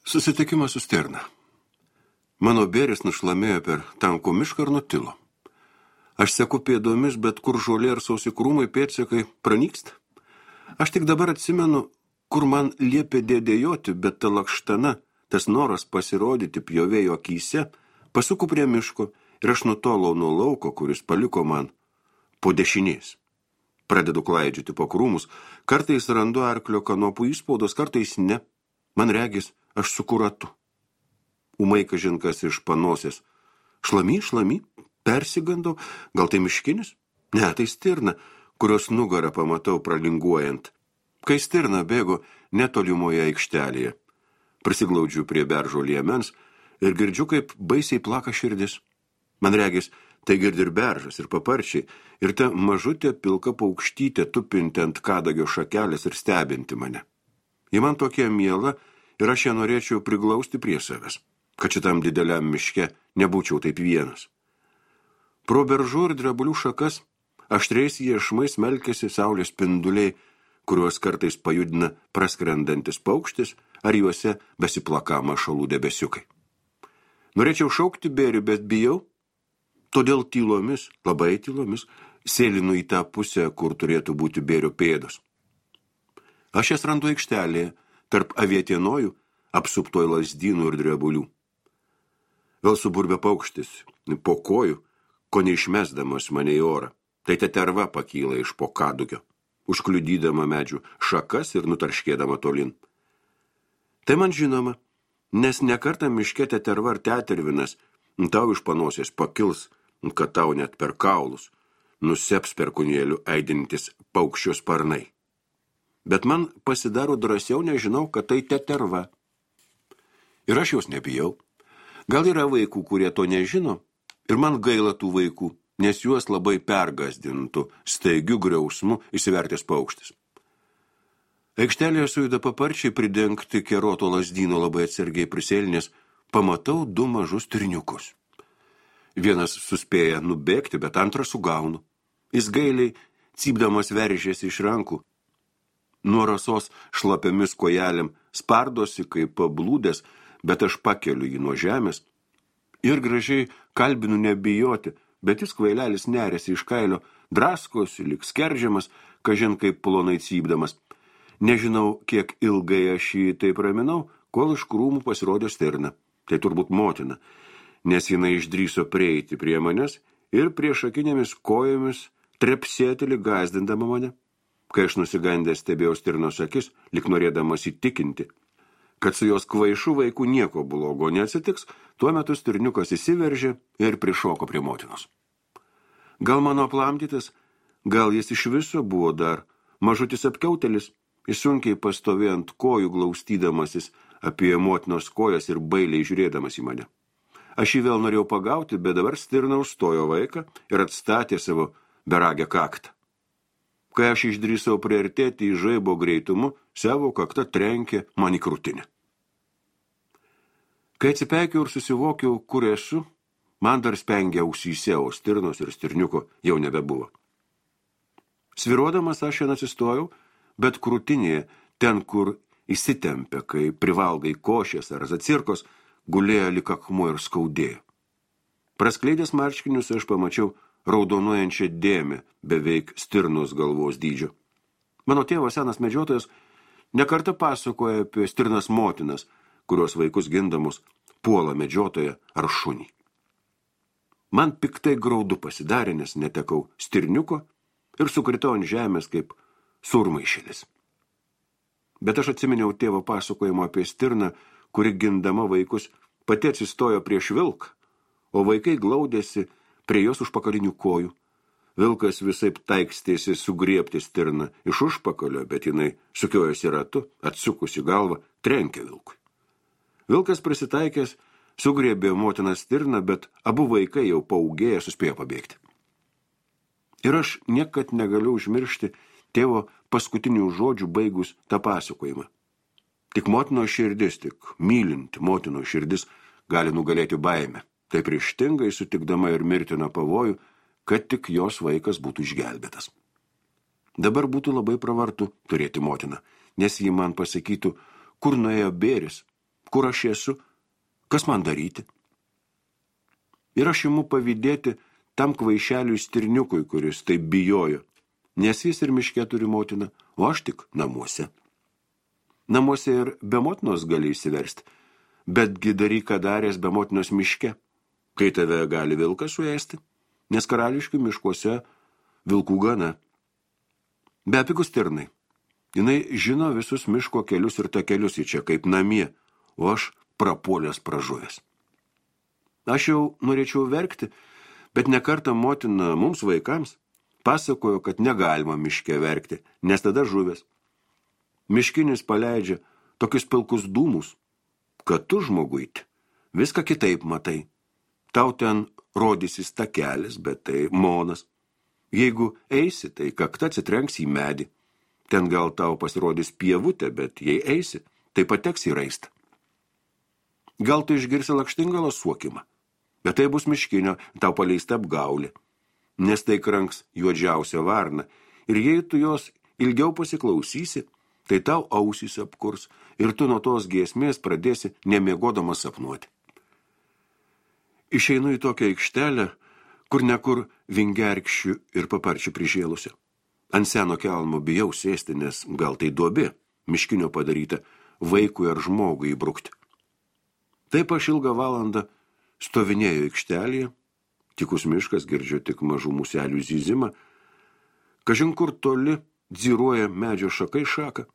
Susitikimas su stirna. Mano bėris nušlamėjo per tankų mišką ir nutilo. Aš seku pėdomis, bet kur žolė ir sausi krūmai pėdsakai pranyksta. Aš tik dabar atsimenu, kur man liepė dėdėjoti, bet ta lakštana, tas noras pasirodyti pjovėjo akyse, pasuku prie miško ir aš nutolau nuo lauko, kuris paliko man po dešinės. Pradedu klaidžioti po krūmus, kartais randu arklio kanopų įspaudos, kartais ne. Man regis, aš suku ratu. Ūmai kažinkas iš panosės. Šlamy, persigandau, gal tai miškinis? Ne, tai stirna, kurios nugarą pamatau pralinguojant. Kai stirna bėgo netolimoje aikštelėje. Prisiglaudžiu prie beržo liemens ir girdžiu, kaip baisiai plaka širdis. Man regis, tai girdi ir beržas, ir paparčiai, ir ta mažutė pilka paukštytė tupinti ant kadagio šakelės ir stebinti mane. Ji man tokia miela ir aš ją norėčiau priglausti prie savęs, kad šitam dideliam miške nebūčiau taip vienas. Pro beržų ir drebulių šakas aštriais iešmais melkėsi saulės spinduliai, kuriuos kartais pajudina praskrendantis paukštis ar juose besiplaka mašalų debesiukai. Norėčiau šaukti bėrį, bet bijau, todėl tylomis, labai tylomis, sėlinu į tą pusę, kur turėtų būti bėrio pėdos. Aš jas randu aikštelėje, tarp avietienojų, apsuptoj lazdynų ir drebulių. Vėl suburbė paukštis, po kojų, ko neišmesdamas mane į orą. Tai teterva pakyla iš po kadugio, užkliudydama medžių šakas ir nutarškėdama tolin. Tai man žinoma, nes nekartą miške teterva ar tetervinas tau iš panosės pakils, kad tau net per kaulus nuseps perkūnėlių aidintis paukščio sparnai. Bet man pasidaro drąsiau, nežinau, kad tai teterva. Ir aš jos nebijau. Gal yra vaikų, kurie to nežino, ir man gaila tų vaikų, nes juos labai pergasdintų staigiu griausmu įsivertęs paukštis. Aikštelėje sujuda paparčiai pridengti keroto lazdyno labai atsargiai prisėlinės, pamatau du mažus stirniukus. Vienas suspėja nubėgti, bet antrą sugaunu. Jis gailiai, cypdamas veržėsi iš rankų. Nuo rasos šlapiamis kojelėm spardosi kaip pablūdęs, bet aš pakeliu jį nuo žemės ir gražiai kalbinu nebijoti, bet jis kvailelis nerėsi iš kailio, draskosi, lyg skerdžiamas, kažin kaip plonai cypdamas. Nežinau, kiek ilgai aš jį taip raminau, kol iš krūmų pasirodė stirna. Tai turbūt motina, nes jinai išdrįso prieiti prie manęs ir priešakinėmis kojomis trepsėti lyg gąsdindama mane. Kai aš nusigandęs stebėjau stirnos akis, lyg norėdamas įtikinti, kad su jos kvaišu vaikų nieko blogo neatsitiks, tuo metu stirniukas įsiveržė ir prišoko prie motinos. Gal mano aplamdytas, gal jis iš viso buvo dar mažutis apkiautelis, jis sunkiai pastovėjo ant kojų glaustydamasis apie motinos kojas ir bailiai žiūrėdamas į mane. Aš jį vėl norėjau pagauti, bet dabar stirna užstojo vaiką ir atstatė savo beragę kaktą. Kai aš išdrįsau priartėti į žaibo greitumu, savo kaktą trenkė man į krūtinę. Kai atsipeikiau ir susivokiau, kur esu, man dar spengia ausyse, o stirnos ir stirniuko jau nebebuvo. Sviruodamas aš ją atsistojau, bet krūtinėje, ten, kur įsitempė, kai privalgai košės ar zacirkos, gulėjo lyg akmuo ir skaudėjo. Praskleidęs marškinius aš pamačiau raudonuojančią dėmę beveik stirnos galvos dydžio. Mano tėvas senas medžiotojas nekartą pasakoja apie stirnas motinas, kurios vaikus gindamos puola medžiotoją ar šunį. Man piktai graudu pasidarė, nes netekau stirniuko ir sukritau ant žemės kaip surmaišėlis. Bet aš atsiminiau tėvo pasakojimo apie stirną, kuri gindama vaikus pati atsistojo prieš vilką, o vaikai glaudėsi prie jos užpakalinių kojų. Vilkas visaip taikstėsi sugriebti stirną iš užpakalio, bet jinai sukiojosi ratu, atsukusi galvą, trenkė vilkui. Vilkas prisitaikęs, sugriebė motiną stirną, bet abu vaikai jau paūgėję suspėjo pabėgti. Ir aš niekad negaliu užmiršti tėvo paskutinių žodžių baigus tą pasakojimą. Tik motinos širdis, tik mylinti motinos širdis gali nugalėti baimę. Taip ryžtingai sutikdama ir mirtiną pavojų, kad tik jos vaikas būtų išgelbėtas. Dabar būtų labai pravartu turėti motiną, nes ji man pasakytų, kur nuėjo bėris, kur aš esu, kas man daryti. Ir aš imu pavydėti tam kvaišeliui stirniukui, kuris taip bijojo, nes jis ir miške turi motiną, o aš tik namuose. Namuose ir be motinos gali įsiversti, betgi daryk, ką daręs be motinos miške, kai tave gali vilkas suėsti, nes karališkių miškuose vilkų gana. Bepigus stirnai. Jinai žino visus miško kelius ir takelius į čia kaip namie, o aš prapuolęs pražuvęs. Aš jau norėčiau verkti, bet nekartą motina mums vaikams pasakojo, kad negalima miške verkti, nes tada žuvęs. Miškinis paleidžia tokius pilkus dūmus, kad tu, žmoguiti, viską kitaip matai. Tau ten rodysis takelis, bet tai monas. Jeigu eisi, tai kakta atsitrenks į medį. Ten gal tau pasirodys pievutė, bet jei eisi, tai pateks į raistą. Gal tu išgirsi lakštingalo suokimą, bet tai bus miškinio, tau paleista apgaulė, nes tai kranks juodžiausia varna, ir jei tu jos ilgiau pasiklausysi, tai tau ausys apkurs ir tu nuo tos giesmės pradėsi nemiegodamas sapnuoti. Išeinu į tokią aikštelę, kur nekur vingerkščių ir paparčių prižėlusią. Ant seno kelmo bijau sėsti, nes gal tai duobė, miškinio padaryta, vaikui ar žmogui įbrukti. Taip aš ilgą valandą stovinėjau aikštelėje, tikus miškas, girdžiu tik mažų muselių zyzimą, kažin kur toli dziruoja medžio šakai šaką.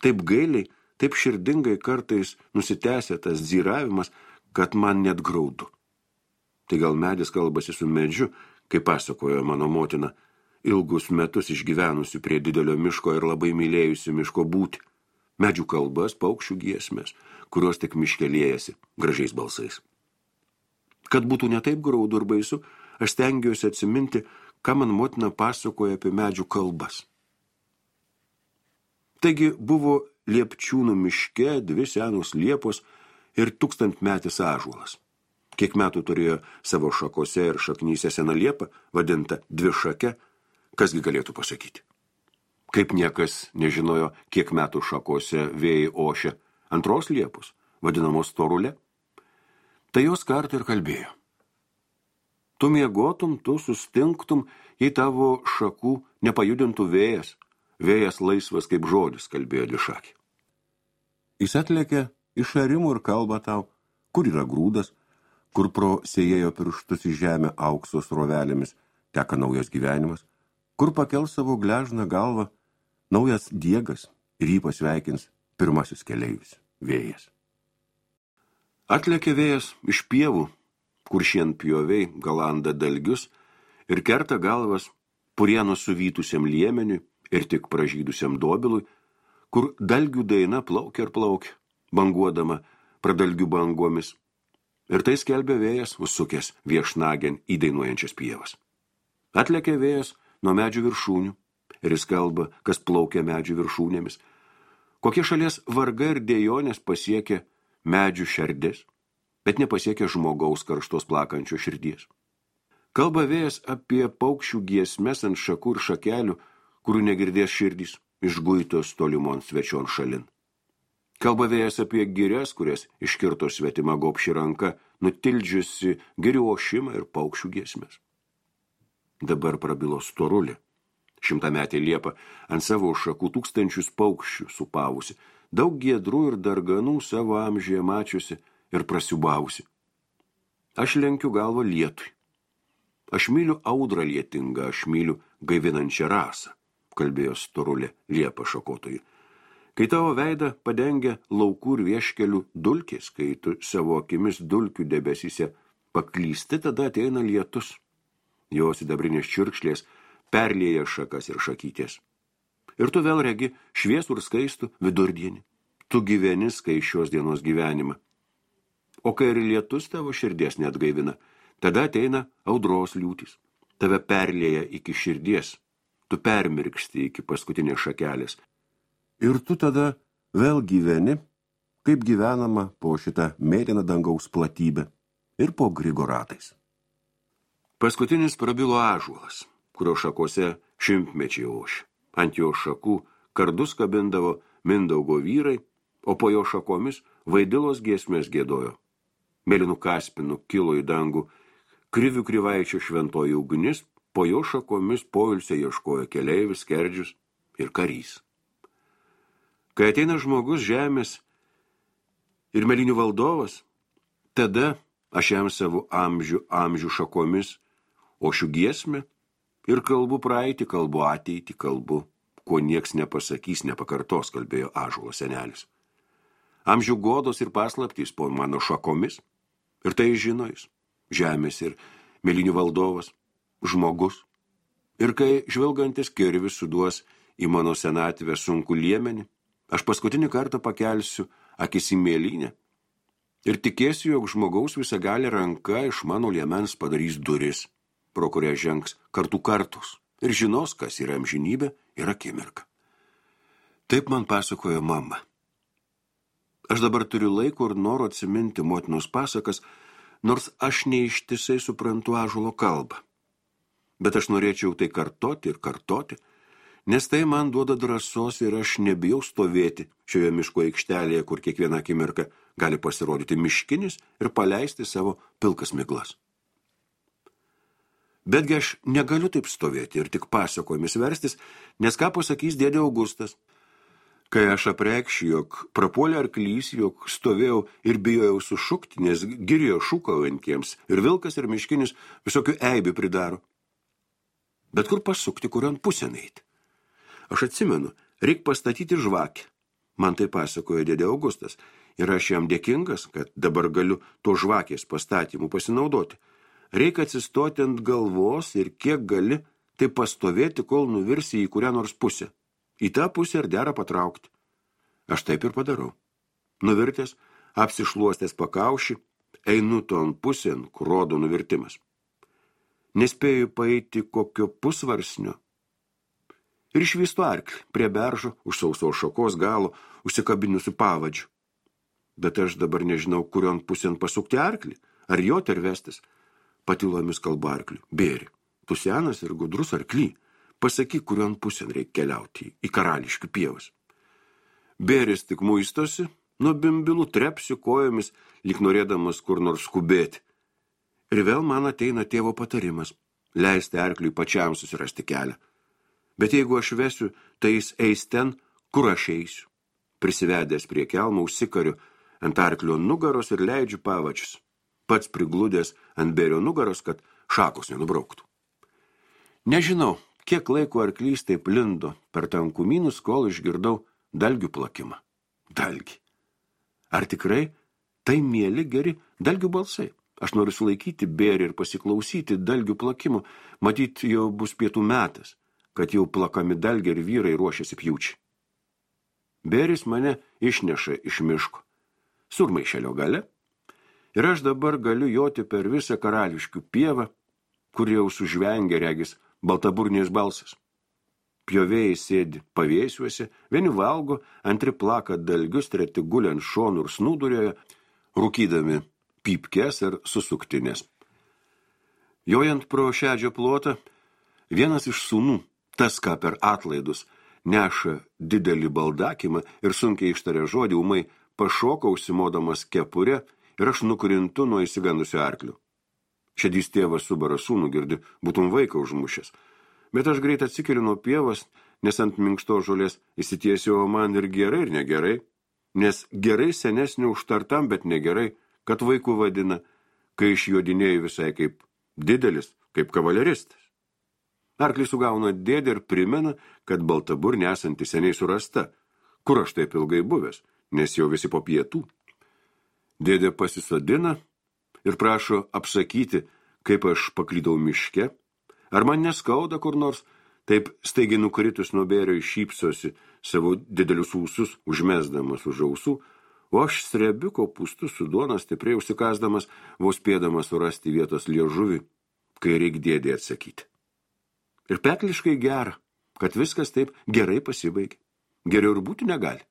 Taip gailiai, taip širdingai kartais nusitęsia tas dziravimas, kad man net graudu. Tai gal medis kalbasi su medžiu, kaip pasakojo mano motina, ilgus metus išgyvenusi prie didelio miško ir labai mylėjusi miško būti. Medžių kalbas, paukščių giesmės, kurios tik miške liejasi gražiais balsais. Kad būtų ne taip graudu ir baisu, aš stengiuosi atsiminti, ką man motina pasakoja apie medžių kalbas. Taigi buvo Liepčiūnų miške 2 senos liepos ir 1000-metis ąžuolas. Kiek metų turėjo savo šakose ir šaknyse sena liepa, vadinta dvišake, kasgi galėtų pasakyti. Kaip niekas nežinojo, kiek metų šakose vėjai ošia antros liepos, vadinamos storulė, tai jos kartą ir kalbėjo. Tu miegotum, tu sustinktum, jei tavo šakų nepajudintų vėjas. Vėjas laisvas kaip žodis, kalbėjo dvišakė. Jis atlėkė iš arimų ir kalba tau, kur yra grūdas, kur pro sėjėjo pirštus į žemę aukso srovelėmis teka naujas gyvenimas, kur pakel savo gležną galvą naujas diegas ir jį pasveikins pirmasis keleivis, vėjas. Atlėkė vėjas iš pievų, kur šienpjoviai galanda dalgius ir kerta galvas purieno suvytusiam liemeniui ir tik pražydusiam dobilui, kur dalgių daina plaukia ir plaukia, banguodama pradalgių bangomis. Ir tai skelbė vėjas, užsukęs viešnagėn įdainuojančias pievas. Atlėkė vėjas nuo medžių viršūnių ir jis kalba, kas plaukia medžių viršūnėmis. Kokie šalies vargai ir dėjonės pasiekė medžių šerdės, bet nepasiekė žmogaus karštos plakančio širdies. Kalba vėjas apie paukščių giesmes ant šakų ir šakelių, kurių negirdės širdys, išguitos tolimon svečion šalin. Kalba vėjas apie girias, kurias iškirto svetima gobši ranka, nutildžiusi girių ošimą ir paukščių giesmes. Dabar prabilo storulė. 100-metė liepa ant savo šakų 1000 paukščių supavusi, daug giedrų ir darganų savo amžiuje mačiusi ir prasiubavusi. Aš lenkiu galvą lietui. Aš myliu audrą lietingą, aš myliu gaivinančią rasą, kalbėjo storulė liepa šakotojui. Kai tavo veidą padengia laukų ir vieškelių dulkės, kai tu savo akimis dulkių debesyse paklysti, tada ateina lietus. Jos sidabrinės čiurkšlės perlieja šakas ir šakytės. Ir tu vėl regi šviesų ir skaistų vidurdienį. Tu gyveni skaisčios dienos gyvenimą. O kai ir lietus tavo širdies neatgaivina, tada ateina audros liūtys. Tave perlieja iki širdies. Tu permirksti iki paskutinės šakelės. Ir tu tada vėl gyveni, kaip gyvenama po šitą mėlyną dangaus platybę ir po grigoratais. Paskutinis prabilo ąžuolas, kurio šakose 100-mečiai ošė. Ant jo šakų kardus kabindavo Mindaugo vyrai, o po jo šakomis vaidilos giesmės giedojo. Mėlynų kaspinų kilo į dangų, krivių krivaičio šventoji ugnis, po jo šakomis poilsio ieškojo keleivis, skerdžius ir karys. Kai ateina žmogus žemės ir mėlynių valdovas, tada aš jam savo amžių šakomis, o šių giesmę ir kalbu praeitį, kalbu ateitį, kalbu, ko nieks nepasakys, nepakartos, kalbėjo ąžuolo senelis. Amžių godos ir paslaptys po mano šakomis, ir tai žino jis, žemės ir mėlynių valdovas, žmogus. Ir kai žvelgantis kirvis suduos į mano senatvę sunkų liemenį, aš paskutinį kartą pakelsiu akis į mėlynę ir tikėsiu, jog žmogaus visagalė ranka iš mano liemens padarys duris, pro kurią žengs kartų kartus ir žinos, kas yra amžinybė ir akimirka. Taip man pasakojo mama. Aš dabar turiu laiko ir noro atsiminti motinos pasakas, nors aš neištisai suprantu ąžuolo kalbą. Bet aš norėčiau tai kartoti ir kartoti, nes tai man duoda drąsos ir aš nebijau stovėti šioje miško aikštelėje, kur kiekvieną akimirką gali pasirodyti miškinis ir paleisti savo pilkas miglas. Betgi aš negaliu taip stovėti ir tik pasakojimis verstis, nes ką pasakys dėdė Augustas. Kai aš apreikščiau, jog prapuolė arklys, jog stovėjau ir bijojau sušukti, nes girėjo šūkaujantiems ir vilkas ir miškinis visokių eibių pridaro. Bet kur pasukti, kurion pusėn eiti? Aš atsimenu, reik pastatyti žvakę. Man tai pasakojo dėdė Augustas ir aš jam dėkingas, kad dabar galiu to žvakės pastatymų pasinaudoti. Reik atsistoti ant galvos ir kiek gali, tai pastovėti, kol nuvirsi į kurią nors pusę. Į tą pusę ir dera patraukti. Aš taip ir padarau. Nuvirtęs, apsišluostęs pakaušį, einu ton pusėn, kur rodo nuvirtimas. Nespėju paeiti kokio pusvarsnio. Ir išvystu arklį prie beržo, už sausos šakos galo, užsikabinusiu pavadžiu. Bet aš dabar nežinau, kurion pusėn pasukti arklį, ar jo tervestis. Patylomis kalba arkliu. Bėri, tu senas ir gudrus arklį. Pasakyk, kurion pusėn reikia keliauti į karališkių pievas. Bėris tik muistosi, nuo bimbilų trepsiu kojomis, lyg norėdamas kur nors skubėti. Ir vėl man ateina tėvo patarimas, leisti arkliui pačiam susirasti kelią. Bet jeigu aš vesiu, tai jis eis ten, kur aš eisiu. Prisivedęs prie kelmo užsikariu ant arklio nugaros ir leidžiu pavačius. Pats prigludęs ant bėrio nugaros, kad šakos nenubrauktų. Nežinau, kiek laiko arklys taip lindo per tankumynus, kol išgirdau dalgių plakimą. Dalgi. Ar tikrai tai mieli geri dalgių balsai? Aš noriu sulaikyti bėrį ir pasiklausyti dalgių plakimų. Matyt, jau bus pietų metas, kad jau plakami dalgiai ir vyrai ruošiasi pjūčiai. Bėris mane išneša iš miško, surmaišelio gale, ir aš dabar galiu joti per visą karališkių pievą, kur jau sužvengia regis baltaburnės balsas. Pjovėjai sėdi pavėsiuose, vieni valgo, antri plaka dalgius, treti guli ant šonų ir snūdurioje, rūkydami pypkes ir susuktinės. Jojant pro šedžio plotą, vienas iš sūnų, tas ką per atlaidus, neša didelį baldakimą ir sunkiai ištaria žodį, ūmai pašoka užsimodamas kepurę ir aš nukrintu nuo įsigandusio arklio. Šedys tėvas subara sūnų, girdi, būtum vaiką užmušęs. Bet aš greit atsikeliu nuo pievas, nes ant minkšto žolės įsitiesiu, o man ir gerai, ir negerai. Nes gerai senesnį užtartam, bet negerai, kad vaikų vadina, kai išjodinėjau visai kaip didelis, kaip kavaleristas. Arklį sugauna dėdė ir primena, kad baltaburnė esanti seniai surasta. Kur aš taip ilgai buvęs, nes jau visi po pietų. Dėdė pasisodina ir prašo apsakyti, kaip aš paklydau miške. Ar man neskauda kur nors, taip staigiai nukritus nuo bėrio šypsosi savo didelius ūsus, užmesdamas už ausų, o aš strebiu kopūstus su duona stipriai užsikasdamas, vos spėdamas surasti vietos liežuvį, kai reik dėdė atsakyti. Ir pekliškai gera, kad viskas taip gerai pasibaigė. Geriau ir būti negali.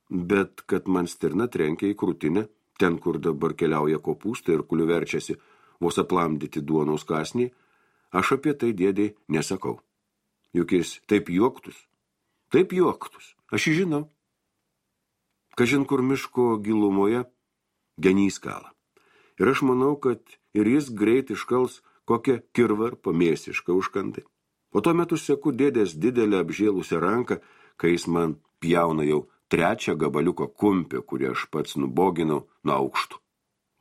Bet kad man stirna trenkia į krūtinę, ten, kur dabar keliauja kopūstai ir kuliu verčiasi vos aplamdyti duonos kąsnį, aš apie tai dėdei nesakau. Juk jis taip juoktus, aš žinau. Kažin kur miško gilumoje genys kala. Ir aš manau, kad ir jis greit iškals kokią kirvarpą mėsišką užkandai. O tuo metu seku dėdės didelę apžėlusią ranką, kai jis man pjauna jau 3 gabaliuko kumpį, kurį aš pats nuboginau nuo aukštų.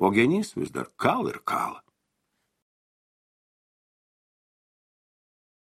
O genys vis dar kala ir kala.